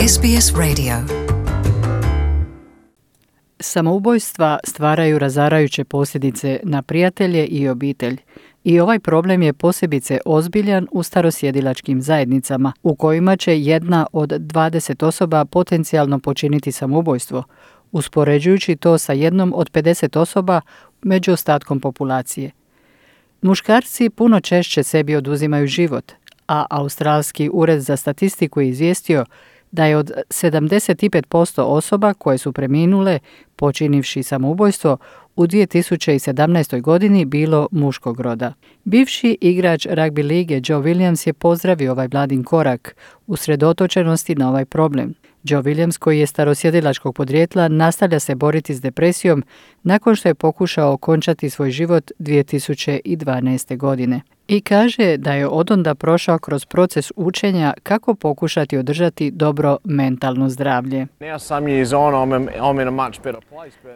SBS Radio. Samoubojstva stvaraju razarajuće posljedice na prijatelje i obitelj. I ovaj problem je posebice ozbiljan u starosjedilačkim zajednicama, u kojima će jedna od 20 osoba potencijalno počiniti samoubojstvo, uspoređujući to sa jednom od 50 osoba među ostatkom populacije. Muškarci puno češće sebi oduzimaju život, a Australski ured za statistiku je izvijestio da je od 75% osoba koje su preminule počinivši samoubojstvo u 2017. godini bilo muškog roda. Bivši igrač ragbi lige Joe Williams je pozdravio ovaj vladin korak usredotočenosti na ovaj problem. Joe Williams, koji je starosjedilačkog podrijetla, nastavlja se boriti s depresijom nakon što je pokušao okončati svoj život 2012. godine. I kaže da je odonda prošao kroz proces učenja kako pokušati održati dobro mentalno zdravlje.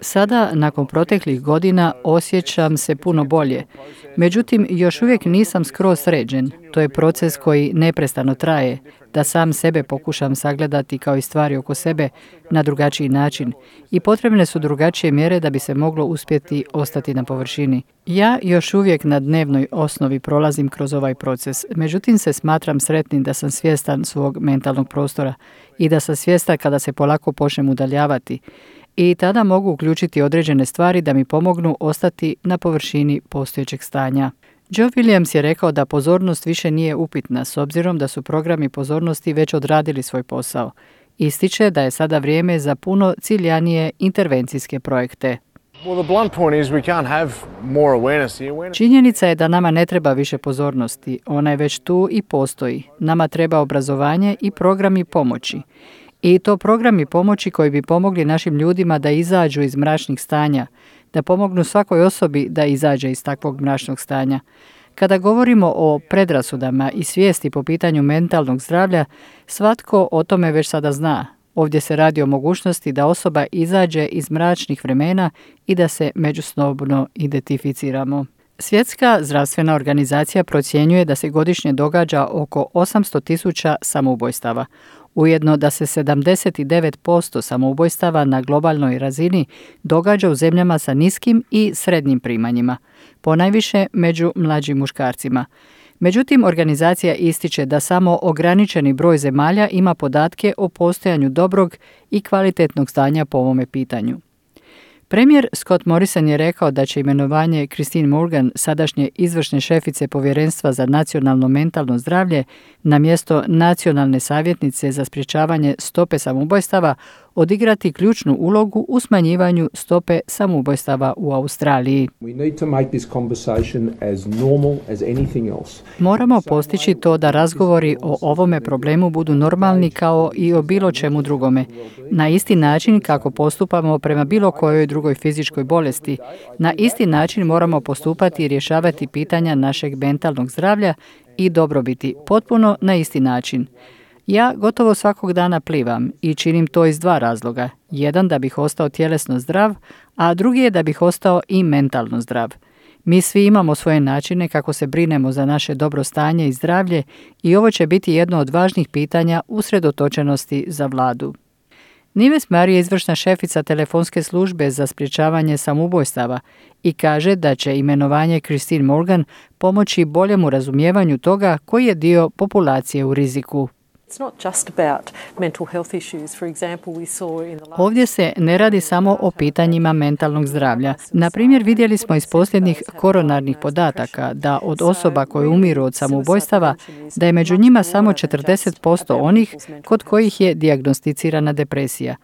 Sada, nakon proteklih godina, osjećam se puno bolje. Međutim, još uvijek nisam skroz sređen. To je proces koji neprestano traje, da sam sebe pokušam sagledati kao i stvari oko sebe na drugačiji način. I potrebne su drugačije mjere da bi se moglo uspjeti ostati na površini. Ja još uvijek na dnevnoj osnovi prolazim kroz ovaj proces, međutim se smatram sretnim da sam svjestan svog mentalnog prostora i da sam svjestan kada se polako počnem udaljavati. I tada mogu uključiti određene stvari da mi pomognu ostati na površini postojećeg stanja. Joe Williams je rekao da pozornost više nije upitna s obzirom da su programi pozornosti već odradili svoj posao. Ističe da je sada vrijeme za puno ciljanije intervencijske projekte. Činjenica je da nama ne treba više pozornosti. Ona je već tu i postoji. Nama treba obrazovanje i programi pomoći. I to programi pomoći koji bi pomogli našim ljudima da izađu iz mračnih stanja, da pomognu svakoj osobi da izađe iz takvog mračnog stanja. Kada govorimo o predrasudama i svijesti po pitanju mentalnog zdravlja, svatko o tome već sada zna. Ovdje se radi o mogućnosti da osoba izađe iz mračnih vremena i da se međusobno identificiramo. Svjetska zdravstvena organizacija procjenjuje da se godišnje događa oko 800.000 samoubojstava. Ujedno da se 79% samoubojstava na globalnoj razini događa u zemljama sa niskim i srednjim primanjima, ponajviše među mlađim muškarcima. Međutim, organizacija ističe da samo ograničeni broj zemalja ima podatke o postojanju dobrog i kvalitetnog stanja po ovome pitanju. Premijer Scott Morrison je rekao da će imenovanje Christine Morgan, sadašnje izvršne šefice Povjerenstva za nacionalno mentalno zdravlje, na mjesto nacionalne savjetnice za sprječavanje stope samoubojstava, odigrati ključnu ulogu u smanjivanju stope samoubojstava u Australiji. Moramo postići to da razgovori o ovome problemu budu normalni kao i o bilo čemu drugome. Na isti način kako postupamo prema bilo kojoj drugoj fizičkoj bolesti, na isti način moramo postupati i rješavati pitanja našeg mentalnog zdravlja i dobrobiti potpuno na isti način. Ja gotovo svakog dana plivam i činim to iz dva razloga. Jedan da bih ostao tjelesno zdrav, a drugi je da bih ostao i mentalno zdrav. Mi svi imamo svoje načine kako se brinemo za naše dobro stanje i zdravlje i ovo će biti jedno od važnih pitanja usredotočenosti za vladu. Nives Murray je izvršna šefica telefonske službe za sprječavanje samoubojstava i kaže da će imenovanje Christine Morgan pomoći boljemu razumijevanju toga koji je dio populacije u riziku. Ovdje se ne radi samo o pitanjima mentalnog zdravlja. Na primjer, vidjeli smo iz posljednjih koronarnih podataka da od osoba koje umiru od samoubojstava, da je među njima samo 40% onih kod kojih je dijagnosticirana depresija.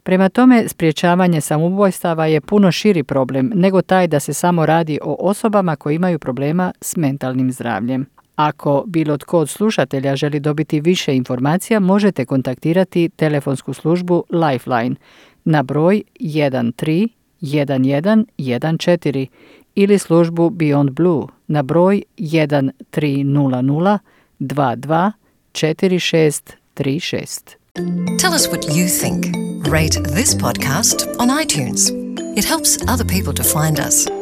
Prema tome, sprječavanje samoubojstava je puno širi problem nego taj da se samo radi o osobama koji imaju problema s mentalnim zdravljem. Ako bilo tko od slušatelja želi dobiti više informacija, možete kontaktirati telefonsku službu Lifeline na broj 131114 ili službu Beyond Blue na broj 1300 22 4636. Tell us what you think. Rate this podcast on iTunes. It helps other people to find us.